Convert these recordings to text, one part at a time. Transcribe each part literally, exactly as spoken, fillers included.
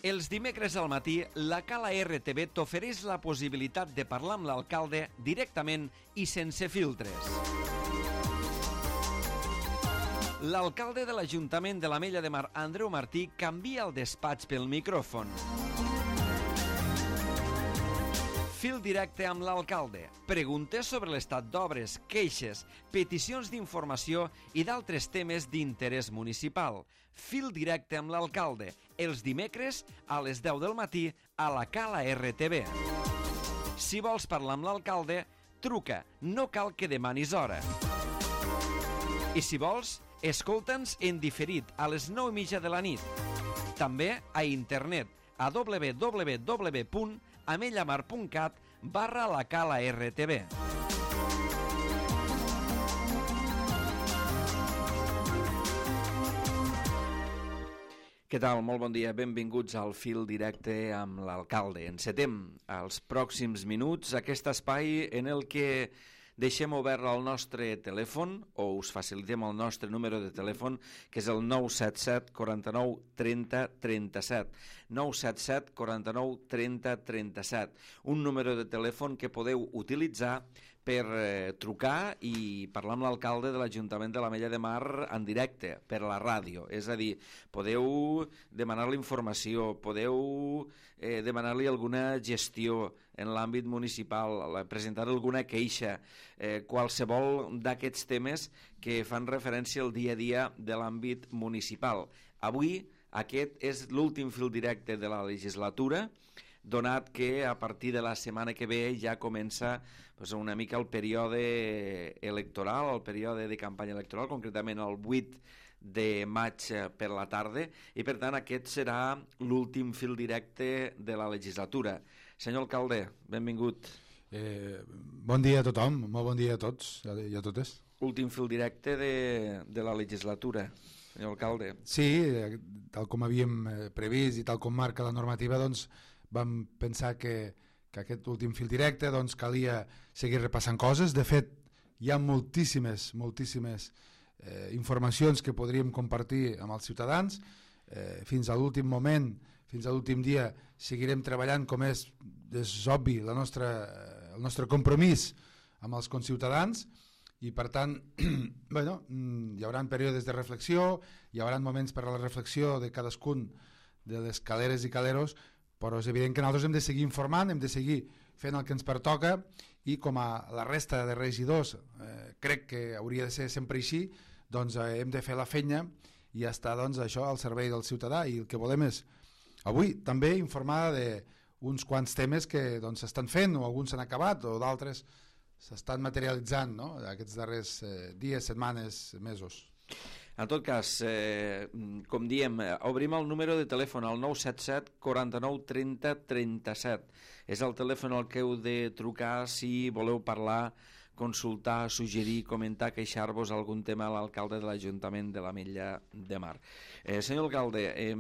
Els dimecres al matí, la Cala R T V t'ofereix la possibilitat de parlar amb l'alcalde directament i sense filtres. L'alcalde de l'Ajuntament de l'Ametlla de Mar, Andreu Martí, canvia el despatx pel micròfon. Fil directe amb l'alcalde. Preguntes sobre l'estat d'obres, queixes, peticions d'informació i d'altres temes d'interès municipal. Fil directe amb l'alcalde. Els dimecres a les deu del matí a la Cala R T V. Si vols parlar amb l'alcalde, truca. No cal que demanis hora. I si vols, escolta'ns en diferit a les nou i mitja de la nit. També a internet a w w w punt amellamar punt cat barra la Cala R T V. Què tal? Molt bon dia. Benvinguts al Fil Directe amb l'alcalde. Encetem els pròxims minuts aquest espai en el que deixem obert el nostre telèfon o us facilitem el nostre número de telèfon, que és el nou set set quaranta-nou trenta trenta-set. nou set set quaranta-nou trenta trenta-set. Un número de telèfon que podeu utilitzar per eh, trucar i parlar amb l'alcalde de l'Ajuntament de l'Ametlla de Mar en directe, per la ràdio. És a dir, podeu demanar-li informació, podeu eh, demanar-li alguna gestió en l'àmbit municipal, presentar alguna queixa, eh, qualsevol d'aquests temes que fan referència al dia a dia de l'àmbit municipal. Avui aquest és l'últim fil directe de la legislatura, donat que a partir de la setmana que ve ja comença pues, una mica el període electoral, el període de campanya electoral, concretament el vuit de maig per la tarda, i per tant aquest serà l'últim fil directe de la legislatura. Senyor alcalde, benvingut. Eh, bon dia a tothom, molt bon dia a tots i a totes. Últim fil directe de, de la legislatura, senyor alcalde. Sí, tal com havíem previst i tal com marca la normativa, doncs vam pensar que, que aquest últim fil directe doncs, calia seguir repassant coses. De fet, hi ha moltíssimes, moltíssimes eh, informacions que podríem compartir amb els ciutadans. Eh, fins a l'últim moment, fins a l'últim dia, seguirem treballant com és, és obvi, la nostra, el nostre compromís amb els conciutadans, i per tant bueno, hi haurà períodes de reflexió, hi haurà moments per a la reflexió de cadascun de les caleres i caleros, però és evident que nosaltres hem de seguir informant, hem de seguir fent el que ens pertoca, i com a la resta de regidors eh, crec que hauria de ser sempre així, doncs eh, hem de fer la feina i estar doncs, això al servei del ciutadà, i el que volem és avui també informar d'uns quants temes que doncs, s'estan fent, o alguns s'han acabat o d'altres s'estan materialitzant, no? Aquests darrers eh, dies, setmanes, mesos. En tot cas, eh, com diem, obrim el número de telèfon al nou set set quaranta-nou trenta trenta-set. És el telèfon al que heu de trucar si voleu parlar, consultar, suggerir, comentar, queixar-vos algun tema a l'alcalde de l'Ajuntament de l'Ametlla de Mar. Eh, senyor alcalde, eh,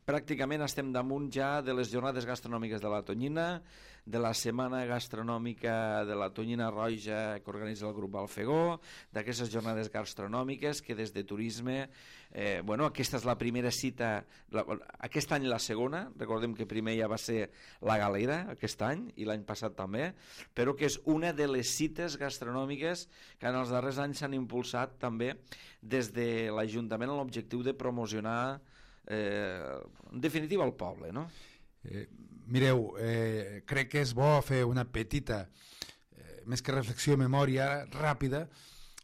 pràcticament estem damunt ja de les jornades gastronòmiques de la Tonyina, de la setmana gastronòmica de la Tonyina Roja que organitza el grup Alfegó, d'aquestes jornades gastronòmiques que des de turisme, eh, bueno, aquesta és la primera cita, la, aquest any la segona, recordem que primer ja va ser la Galera aquest any i l'any passat també, però que és una de les cites gastronòmiques que en els darrers anys s'han impulsat també des de l'Ajuntament amb l'objectiu de promocionar eh, en definitiva el poble, no? Eh, mireu, eh, crec que és bo fer una petita, eh, més que reflexió, memòria ràpida,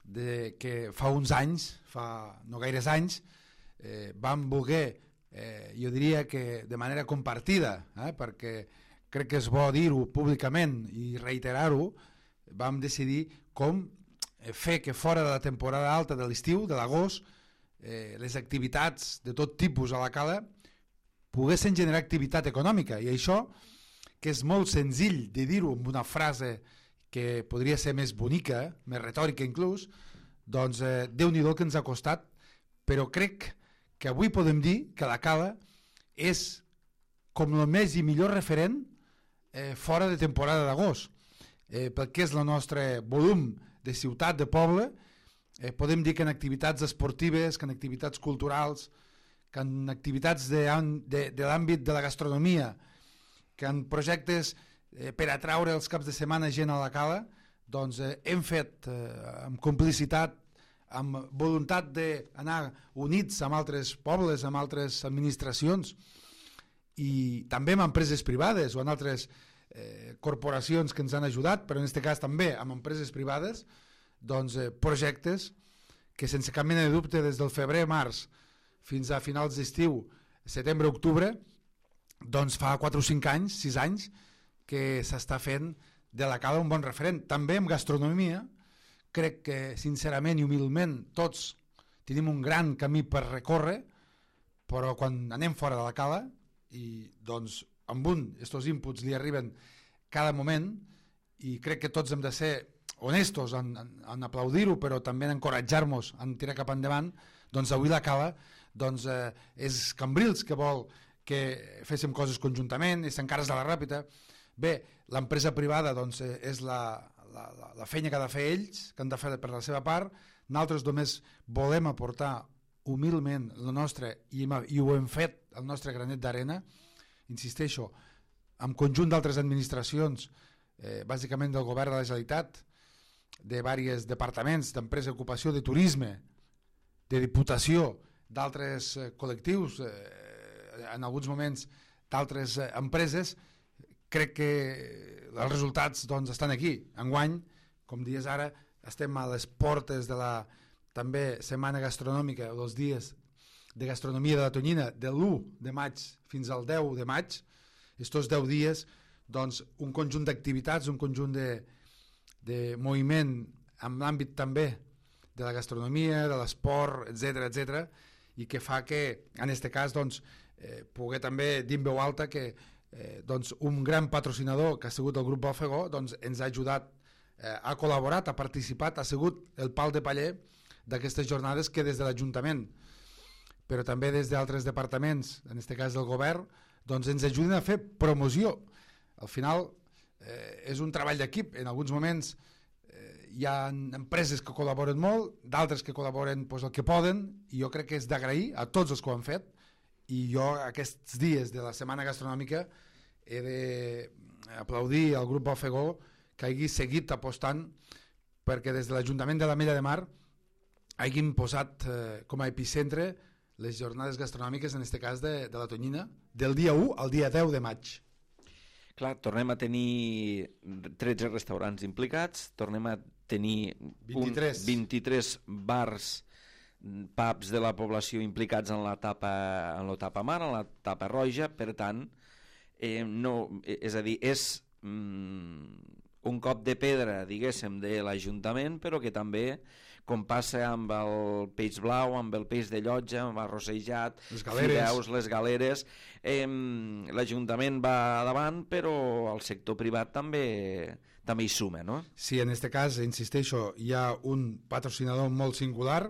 de que fa uns anys, fa no gaires anys, eh, vam voler, eh, jo diria que de manera compartida, eh, perquè crec que és bo dir-ho públicament i reiterar-ho, vam decidir com fer que fora de la temporada alta de l'estiu, de l'agost, eh, les activitats de tot tipus a la cala poguessin generar activitat econòmica, i això, que és molt senzill de dir-ho amb una frase que podria ser més bonica, més retòrica inclús, doncs eh, Déu-n'hi-do que ens ha costat, però crec que avui podem dir que la cala és com el més i millor referent eh, fora de temporada d'agost. Eh, pel que és el nostre volum de ciutat, de poble, eh, podem dir que en activitats esportives, que en activitats culturals, que en activitats de, de, de l'àmbit de la gastronomia, que en projectes eh, per atraure els caps de setmana gent a la cala, doncs eh, hem fet eh, amb complicitat, amb voluntat d'anar units amb altres pobles, amb altres administracions, i també amb empreses privades o amb altres eh, corporacions que ens han ajudat, però en aquest cas també amb empreses privades, doncs eh, projectes que sense cap mena de dubte des del febrer-març fins a finals d'estiu, setembre-octubre, doncs fa quatre o cinc anys, sis anys, que s'està fent de la cala un bon referent. També en gastronomia, crec que sincerament i humilment tots tenim un gran camí per recórrer, però quan anem fora de la cala, i doncs amb un, estos inputs li arriben cada moment, i crec que tots hem de ser honestos en, en, en aplaudir-ho, però també en encoratjar-nos en tirar cap endavant. Doncs avui la cala doncs, eh, és Cambrils que vol que féssim coses conjuntament, és encara de la Ràpita. Bé, l'empresa privada doncs, eh, és la, la, la, la feina que ha de fer ells, que han de fer per la seva part. Nosaltres només volem aportar humilment el nostre, i, i ho hem fet, el nostre granet d'arena, insisteixo, amb conjunt d'altres administracions, eh, bàsicament del govern de la Generalitat, de diversos departaments, d'empresa, ocupació, de turisme, de diputació, d'altres eh, col·lectius, eh, en alguns moments d'altres eh, empreses. Crec que els resultats doncs, estan aquí. Enguany, com dies ara, estem a les portes de la també setmana gastronòmica, els dies de gastronomia de la Tonyina, de l'u de maig fins al deu de maig. Estos deu dies, doncs, un conjunt d'activitats, un conjunt de, de moviment en l'àmbit també de la gastronomia, de l'esport, etcètera, etcètera, i que fa que, en aquest cas, doncs, eh, poder també dir en veu alta que eh, doncs, un gran patrocinador que ha sigut el grup Balfegó doncs, ens ha ajudat, eh, ha col·laborat, ha participat, ha sigut el pal de paller d'aquestes jornades que des de l'Ajuntament, però també des d'altres departaments, en aquest cas del govern, doncs ens ajuden a fer promoció. Al final eh, és un treball d'equip. En alguns moments eh, hi ha empreses que col·laboren molt, d'altres que col·laboren pues, el que poden, i jo crec que és d'agrair a tots els que ho han fet, i jo aquests dies de la setmana gastronòmica he d'aplaudir al grup Balfegó que hagi seguit apostant perquè des de l'Ajuntament de l'Ametlla de Mar hagin posat eh, com a epicentre les jornades gastronòmiques, en aquest cas de, de la Tonyina, del dia u al dia deu de maig. Clar, tornem a tenir tretze restaurants implicats, tornem a tenir vint-i-tres, un, vint-i-tres bars, pubs de la població implicats en la tapa, en la tapa mar, en la tapa roja, per tant, eh, no, és a dir, és mm, un cop de pedra, diguéssim, de l'Ajuntament, però que també, com passa amb el peix blau, amb el peix de llotja, amb arrossejat, les galeres, fideus, les galeres, eh, l'Ajuntament va davant, però el sector privat també també hi suma, no? Sí, en aquest cas, insisteixo, hi ha un patrocinador molt singular,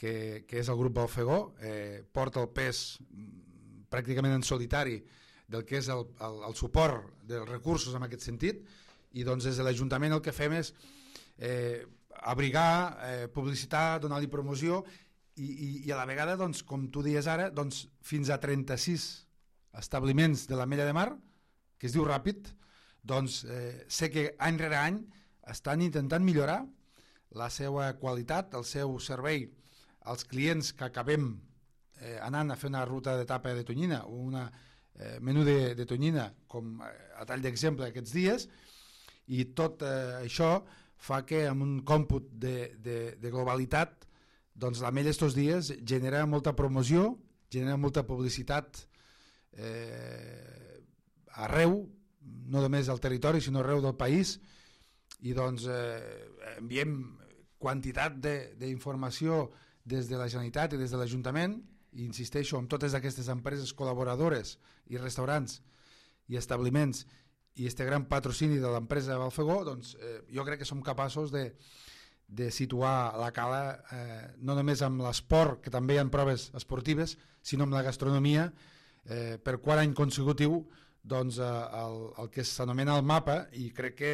que, que és el grup Balfegó, eh, porta el pes pràcticament en solitari del que és el, el, el suport dels recursos en aquest sentit, i doncs des de l'Ajuntament el que fem és eh, abrigar, eh, publicitar, donar-li promoció i, i, i a la vegada, doncs, com tu dies ara, doncs, fins a trenta-sis establiments de l'Ametlla de Mar, que es diu ràpid, doncs eh, sé que any rere any estan intentant millorar la seva qualitat, el seu servei als clients que acabem eh, anant a fer una ruta de tapa de tonyina o una eh, menú de, de tonyina, com eh, a tall d'exemple aquests dies, i tot eh, això fa que amb un còmput de, de, de globalitat doncs l'Ametlla estos dies genera molta promoció, genera molta publicitat eh, arreu, no només al territori sinó arreu del país, i doncs eh, enviem quantitat d'informació des de la Generalitat i des de l'Ajuntament, i insisteixo, amb totes aquestes empreses col·laboradores i restaurants i establiments i este gran patrocini de l'empresa Balfegó, doncs eh, jo crec que som capaços de, de situar la cala eh, no només amb l'esport, que també hi ha proves esportives, sinó amb la gastronomia, eh, per quart any consecutiu doncs, eh, el, el que s'anomena el mapa, i crec que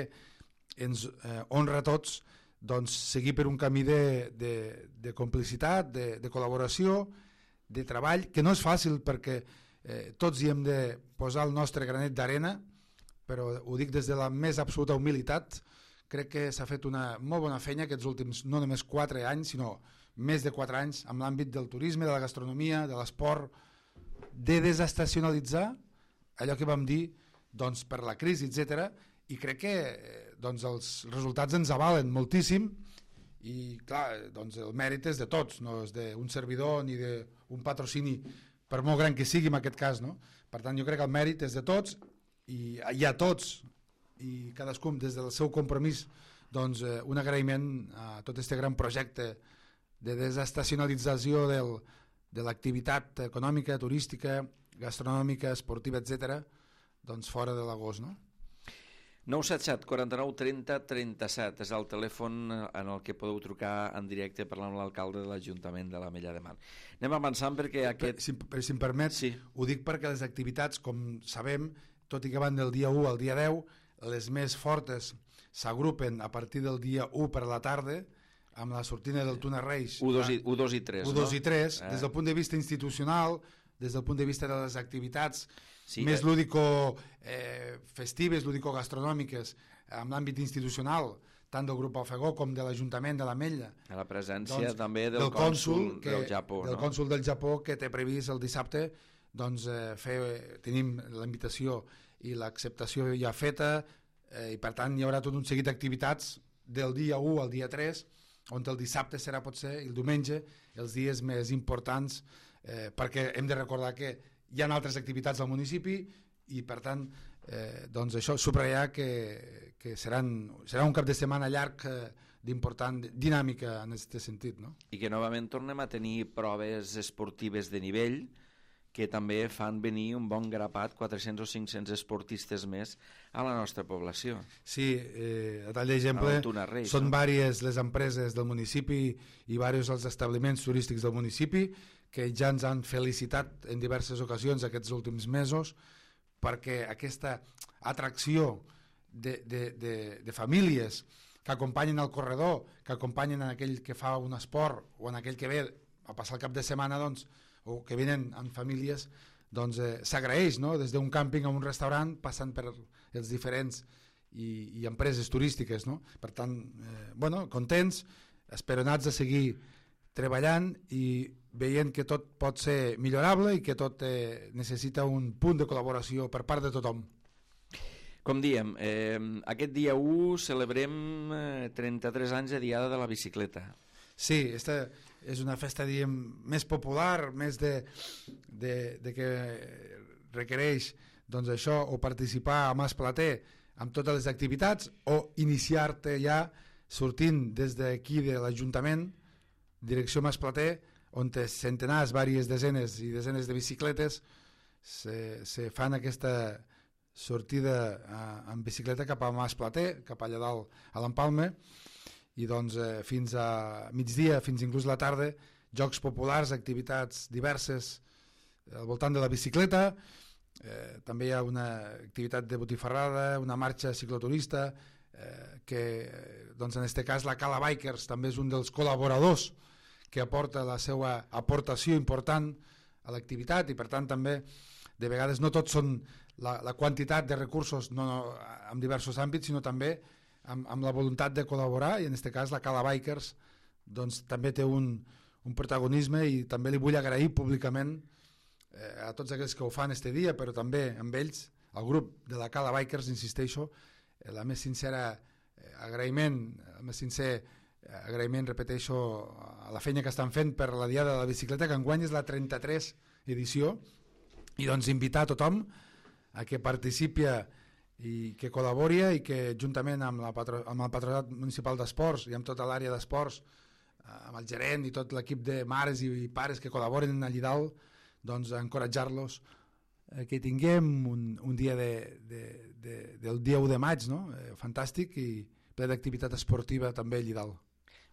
ens eh, honra a tots doncs, seguir per un camí de, de, de complicitat, de, de col·laboració, de treball, que no és fàcil perquè eh, tots hi hem de posar el nostre granet d'arena, però ho dic des de la més absoluta humilitat. Crec que s'ha fet una molt bona feina aquests últims no només quatre anys, sinó més de quatre anys en l'àmbit del turisme, de la gastronomia, de l'esport, de desestacionalitzar allò que vam dir doncs, per la crisi, etcètera. I crec que doncs, els resultats ens avalen moltíssim i clar, doncs, el mèrit és de tots, no és d'un servidor ni d'un patrocini, per molt gran que sigui en aquest cas, no? Per tant, jo crec que el mèrit és de tots i hi ha tots i cadascú des del seu compromís doncs, eh, un agraïment a tot aquest gran projecte de desestacionalització del, de l'activitat econòmica, turística, gastronòmica, esportiva, etcètera, doncs fora de l'agost, no? nou set set, quaranta-nou, trenta, trenta-set és el telèfon en el que podeu trucar en directe parlant amb l'alcalde de l'Ajuntament de l'Ametlla de Mar. Anem avançant perquè aquest... Si, si em permet, sí. Ho dic perquè les activitats, com sabem, tot i que van del dia u al dia deu, les més fortes s'agrupen a partir del dia u per la tarda amb la sortida del Tuna Reis u dos i tres, u dos i tres, no? Des del punt de vista institucional, des del punt de vista de les activitats sí, més eh... lúdico eh, festives, lúdico-gastronòmiques amb l'àmbit institucional, tant del grup Alfegó com de l'Ajuntament de l'Ametlla. A la presència doncs, també del, del cònsul que, del Japó. Del no? cònsul del Japó que té previst el dissabte doncs, eh, fer, tenim la invitació i l'acceptació ja feta eh, i per tant hi haurà tot un seguit d'activitats del dia u al dia tres on el dissabte serà potser el diumenge els dies més importants eh, perquè hem de recordar que hi ha altres activitats al municipi i per tant eh, doncs això subratllar que, que seran, serà un cap de setmana llarg eh, d'important dinàmica en aquest sentit, no? I que novament tornem a tenir proves esportives de nivell que també fan venir un bon grapat, quatre-cents o cinc-cents esportistes més a la nostra població. Sí, eh, a tall d'exemple, són no? Vàries les empreses del municipi i diversos els establiments turístics del municipi que ja ens han felicitat en diverses ocasions aquests últims mesos perquè aquesta atracció de, de, de, de famílies que acompanyen el corredor, que acompanyen en aquell que fa un esport o en aquell que ve a passar el cap de setmana, doncs, o que venen amb famílies, doncs eh, s'agraeix, no? Des d'un càmping a un restaurant, passant per els diferents i, i empreses turístiques, no? Per tant, eh, bueno, contents, esperonats de seguir treballant i veient que tot pot ser millorable i que tot eh, necessita un punt de col·laboració per part de tothom. Com diem, eh, aquest dia u celebrem eh, trenta-tres anys de Diada de la Bicicleta. Sí, esta és una festa diguem, més popular, més de, de, de que requereix doncs, això, o participar a Mas Plater amb totes les activitats o iniciar-te ja sortint des d'aquí de l'Ajuntament, direcció Mas Plater, on centenars, vàries desenes i desenes de bicicletes se, se fan aquesta sortida a, en bicicleta cap a Mas Plater, cap allà dalt a l'Empalme, i doncs eh, fins a migdia, fins inclús la tarda, jocs populars, activitats diverses al voltant de la bicicleta, eh, també hi ha una activitat de botifarrada, una marxa cicloturista, eh, que doncs en aquest cas la Cala Bikers també és un dels col·laboradors que aporta la seva aportació important a l'activitat i per tant també de vegades no tots són la, la quantitat de recursos no, no, en diversos àmbits, sinó també amb, amb la voluntat de col·laborar, i en aquest cas la Cala Bikers doncs, també té un, un protagonisme i també li vull agrair públicament eh, a tots aquells que ho fan este dia, però també amb ells, al grup de la Cala Bikers, insisteixo, eh, la més sincera eh, agraïment, el més sincer eh, agraïment, repeteixo, a la feina que estan fent per la Diada de la Bicicleta, que enguany és la trenta-tres edició, i doncs invitar a tothom a que participi i que col·labori i que juntament amb, la patro, amb el Patronat Municipal d'Esports i amb tota l'àrea d'esports, amb el gerent i tot l'equip de mares i pares que col·laboren allà dalt, doncs encoratjar-los eh, que tinguem un, un dia de, de, de, del dia u de maig, no? eh, fantàstic i ple d'activitat esportiva també allà dalt.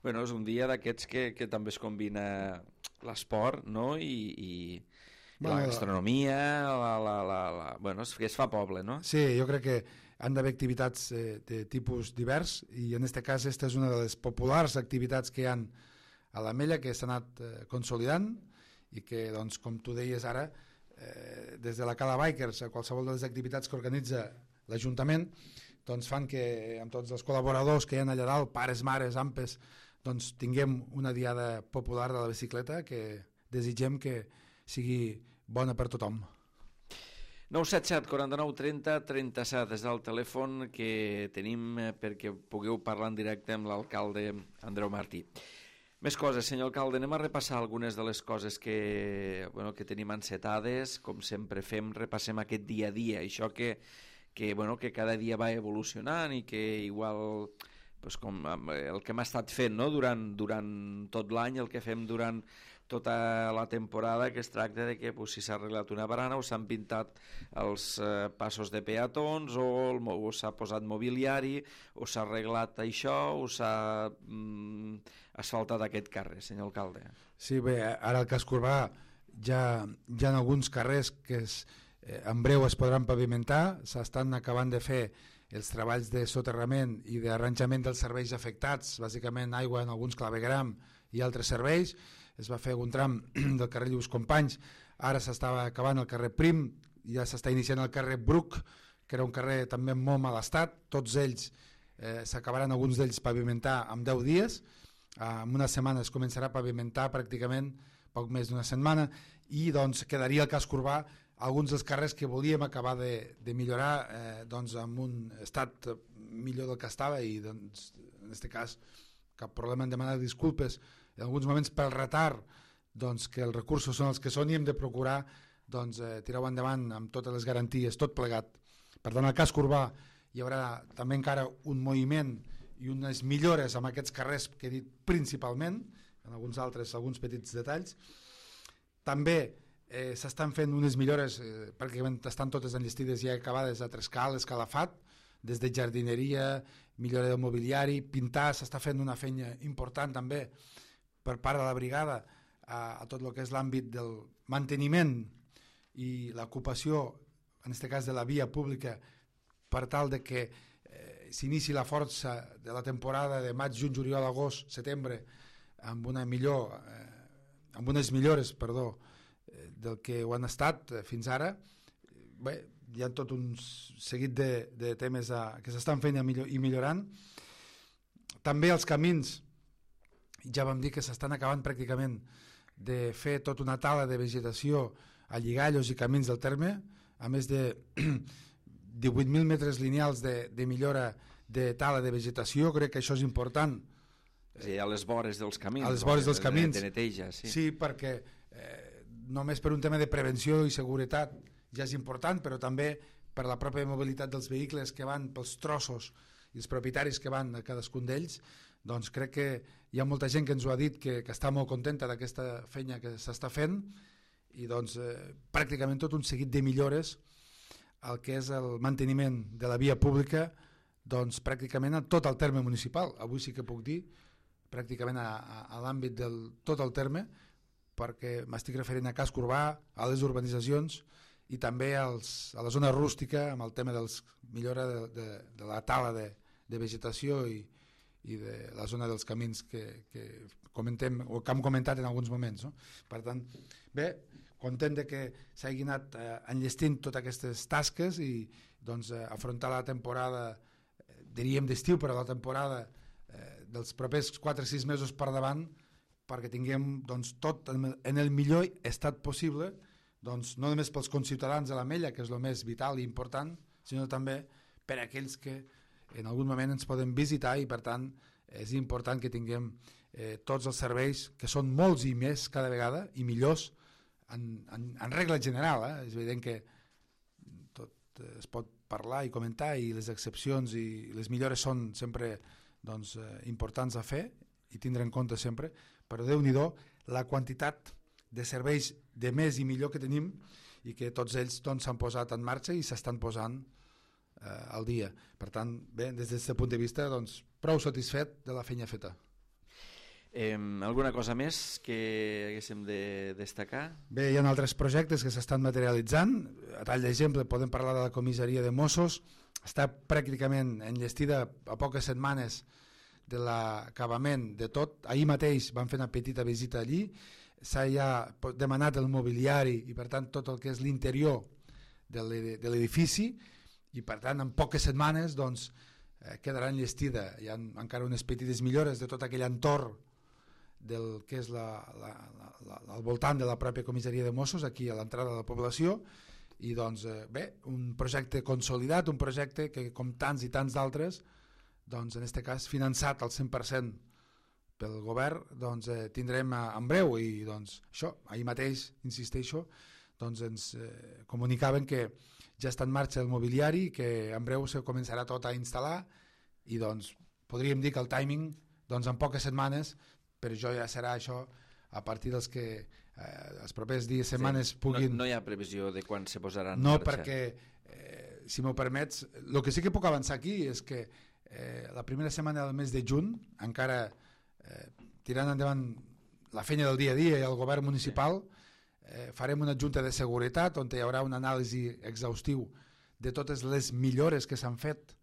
Bueno, és un dia d'aquests que, que també es combina l'esport, no? I, i, i la gastronomia, la, la, la, la... bueno, és que es fa poble, no? Sí, jo crec que han d'haver activitats eh, de tipus divers i en aquest cas aquesta és una de les populars activitats que hi ha a l'Ametlla que s'ha anat eh, consolidant i que, doncs, com tu deies ara, eh, des de la Cala Bikers a qualsevol de les activitats que organitza l'Ajuntament, doncs fan que amb tots els col·laboradors que hi ha allà dalt, pares, mares, ampes, doncs tinguem una diada popular de la bicicleta que desitgem que sigui bona per tothom. nou set set, quaranta-nou, trenta, trenta-set és el telèfon que tenim perquè pugueu parlar en directe amb l'alcalde Andreu Martí. Més coses, senyor alcalde, anem a repassar algunes de les coses que, bueno, que tenim encetades, com sempre fem, repassem aquest dia a dia, això que, que, bueno, que cada dia va evolucionant i que igual, pues, com el que hem estat fent, no? durant, durant tot l'any, el que fem durant tota la temporada, que es tracta de que pues, si s'ha arreglat una barana o s'han pintat els eh, passos de peatons o, el, o s'ha posat mobiliari o s'ha arreglat això o s'ha mm, asfaltat aquest carrer, senyor alcalde. Sí, bé, ara al Casc Urbà ja hi ha alguns carrers que es, eh, en breu es podran pavimentar, s'estan acabant de fer els treballs de soterrament i d'arranjament dels serveis afectats, bàsicament aigua en alguns clavegram i altres serveis. Es va fer algun tram del carrer Lluís Companys, ara s'estava acabant el carrer Prim, ja s'està iniciant el carrer Bruc, que era un carrer també en molt mal estat, tots ells eh, s'acabaran alguns d'ells pavimentar en deu dies, eh, en una setmana es començarà a pavimentar pràcticament poc més d'una setmana i doncs quedaria el Casc Urbà alguns dels carrers que volíem acabar de, de millorar eh, doncs en un estat millor del que estava i doncs en aquest cas cap problema en demanar disculpes en alguns moments pel retard doncs, que els recursos són els que són i hem de procurar doncs, eh, tirar-ho endavant amb totes les garanties, tot plegat. Per tant, al Casc Urbà hi haurà també encara un moviment i unes millores amb aquests carrers que he dit principalment, en alguns altres, alguns petits detalls. També eh, s'estan fent unes millores, eh, pràcticament estan totes enllestides i ja acabades a Trescal, Escalafat, des de jardineria, millora del mobiliari, pintar, s'està fent una feina important també per part de la brigada a, a tot el que és l'àmbit del manteniment i l'ocupació, en aquest cas de la via pública, per tal de que eh, s'inici la força de la temporada de maig, juny, juliol, agost, setembre, amb una millor, eh, amb unes millores, perdó, eh, del que ho han estat eh, fins ara. Bé, hi ha tot un seguit de, de temes a, que s'estan fent i, millor, i millorant. També els camins, ja vam dir que s'estan acabant pràcticament de fer tota una tala de vegetació a lligallos i camins del terme, a més de divuit mil metres lineals de, de millora de tala de vegetació. Crec que això és important. Sí, a les vores dels camins. A les vores dels camins. De neteja, sí. Sí, perquè eh, només per un tema de prevenció i seguretat ja és important, però també per la pròpia mobilitat dels vehicles que van pels trossos i els propietaris que van a cadascun d'ells, doncs crec que hi ha molta gent que ens ho ha dit que, que està molt contenta d'aquesta feina que s'està fent i doncs eh, pràcticament tot un seguit de millores al que és el manteniment de la via pública doncs pràcticament a tot el terme municipal. Avui sí que puc dir pràcticament a, a, a l'àmbit del tot el terme, perquè m'estic referint a Casc Urbà, a les urbanitzacions i també als, a la zona rústica amb el tema dels millora de, de, de la tala de, de vegetació i i de la zona dels camins que, que comentem o que hem comentat en alguns moments, no? Per tant, bé, content de que s'hagi anat eh, enllestint totes aquestes tasques i doncs, eh, afrontar la temporada, eh, diríem d'estiu, però la temporada eh, dels propers quatre o sis mesos per davant, perquè tinguem doncs, tot en el millor estat possible, doncs, no només pels conciutadans de l'Ametlla, que és el més vital i important, sinó també per a aquells que en algun moment ens poden visitar i per tant és important que tinguem eh, tots els serveis, que són molts i més cada vegada i millors en, en, en regla general. Eh? És evident que tot es pot parlar i comentar i les excepcions i les millores són sempre doncs, eh, importants a fer i tindre en compte sempre, però Déu-n'hi-do la quantitat de serveis de més i millor que tenim i que tots ells s'han doncs, posat en marxa i s'estan posant eh, al dia. Per tant, bé, des d'aquest punt de vista, doncs, prou satisfet de la feina feta. Eh, alguna cosa més que haguéssim de destacar? Bé, hi ha altres projectes que s'estan materialitzant. A tall d'exemple, podem parlar de la comissaria de Mossos. Està pràcticament enllestida a poques setmanes de l'acabament de tot. Ahir mateix van fer una petita visita allí. s'ha ja demanat el mobiliari i per tant tot el que és l'interior de l'edifici, i per tant en poques setmanes doncs, eh, quedarà enllestida. Hi ha encara unes petites millores de tot aquell entorn del que és la, la, la, la, al voltant de la pròpia comissaria de Mossos, aquí a l'entrada de la població, i doncs eh, bé, un projecte consolidat, un projecte que com tants i tants d'altres, doncs en aquest cas finançat al cent per cent pel govern, doncs eh, tindrem eh, en breu, i doncs això, ahir mateix, insisteixo, doncs ens eh, comunicaven que ja està en marxa el mobiliari, que en breu se començarà tot a instal·lar, i doncs podríem dir que el timing doncs en poques setmanes, però jo ja serà això a partir dels que eh, els propers dies, setmanes sí, puguin... No, no hi ha previsió de quan se posaran no, en marxa. perquè, eh, si m'ho permets, el que sí que puc avançar aquí és que eh, la primera setmana del mes de juny, encara eh, tirant endavant la feina del dia a dia i el govern municipal, eh, farem una junta de seguretat on hi haurà una anàlisi exhaustiu de totes les millores que s'han fet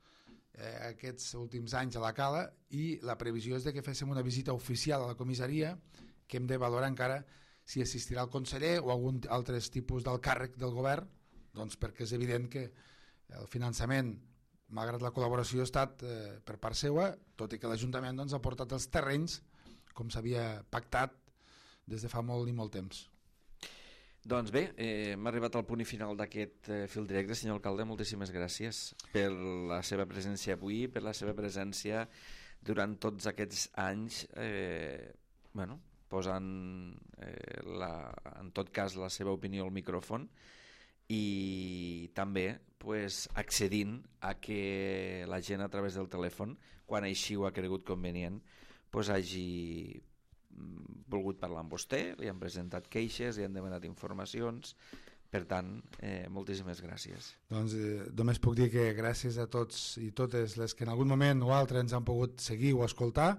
eh, aquests últims anys a la Cala, i la previsió és de que féssim una visita oficial a la comissaria, que hem de valorar encara si assistirà el conseller o algun altre tipus del càrrec del govern, doncs perquè és evident que el finançament, malgrat la col·laboració, ha estat eh, per part seva, tot i que l'Ajuntament doncs, ha portat els terrenys com s'havia pactat des de fa molt i molt temps. Doncs bé, eh, hem arribat al punt i final d'aquest eh, fil directe. Senyor alcalde, moltíssimes gràcies per la seva presència avui, per la seva presència durant tots aquests anys, eh, bueno, posant eh, la, en tot cas la seva opinió al micròfon, i també pues, accedint a que la gent a través del telèfon, quan així ho ha cregut convenient, pues, hagi volgut parlar amb vostè, li han presentat queixes, li han demanat informacions. Per tant, eh, moltíssimes gràcies. Doncs eh, només puc dir que gràcies a tots i totes les que en algun moment o altre ens han pogut seguir o escoltar.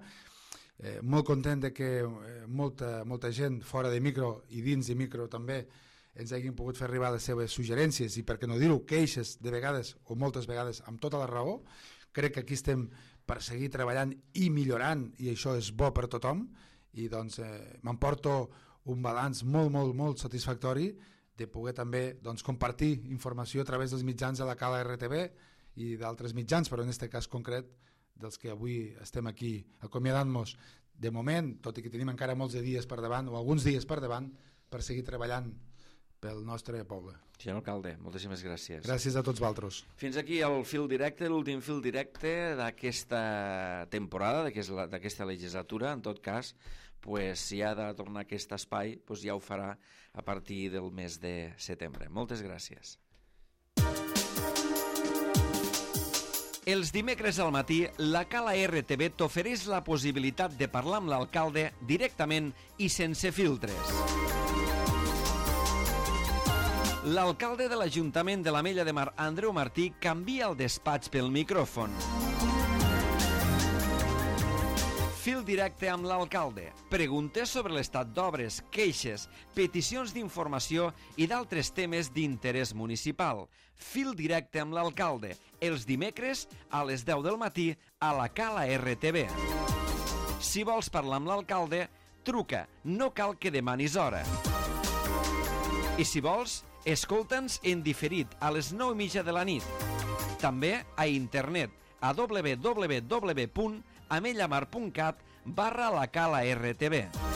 Eh, molt content de que eh, molta, molta gent fora de micro i dins de micro també ens hagin pogut fer arribar les seves suggerències i, per què no dir-ho, queixes de vegades o moltes vegades amb tota la raó. Crec que aquí estem per seguir treballant i millorant, i això és bo per tothom, i doncs eh, m'emporto un balanç molt, molt, molt satisfactori de poder també doncs, compartir informació a través dels mitjans de la Cala R T V i d'altres mitjans, però en aquest cas concret dels que avui estem aquí acomiadant-nos de moment, tot i que tenim encara molts de dies per davant o alguns dies per davant per seguir treballant pel nostre poble. Senyor alcalde, moltíssimes gràcies. Gràcies a tots vosaltres. Fins aquí el fil directe, l'últim fil directe d'aquesta temporada, d'aquesta legislatura. En tot cas, pues, si ha de tornar a aquest espai, pues, ja ho farà a partir del mes de setembre. Moltes gràcies. Els dimecres al matí, la Cala R T V t'ofereix la possibilitat de parlar amb l'alcalde directament i sense filtres. L'alcalde de l'Ajuntament de l'Ametlla de Mar, Andreu Martí, canvia el despatx pel micròfon. Fil directe amb l'alcalde. Preguntes sobre l'estat d'obres, queixes, peticions d'informació i d'altres temes d'interès municipal. Fil directe amb l'alcalde. Els dimecres a les deu del matí a la Cala R T V. Si vols parlar amb l'alcalde, truca. No cal que demanis hora. I si vols, escolta'ns en diferit a les nou i mitja de la nit. També a internet a w w w punt amellamar punt cat barra la Cala R T V.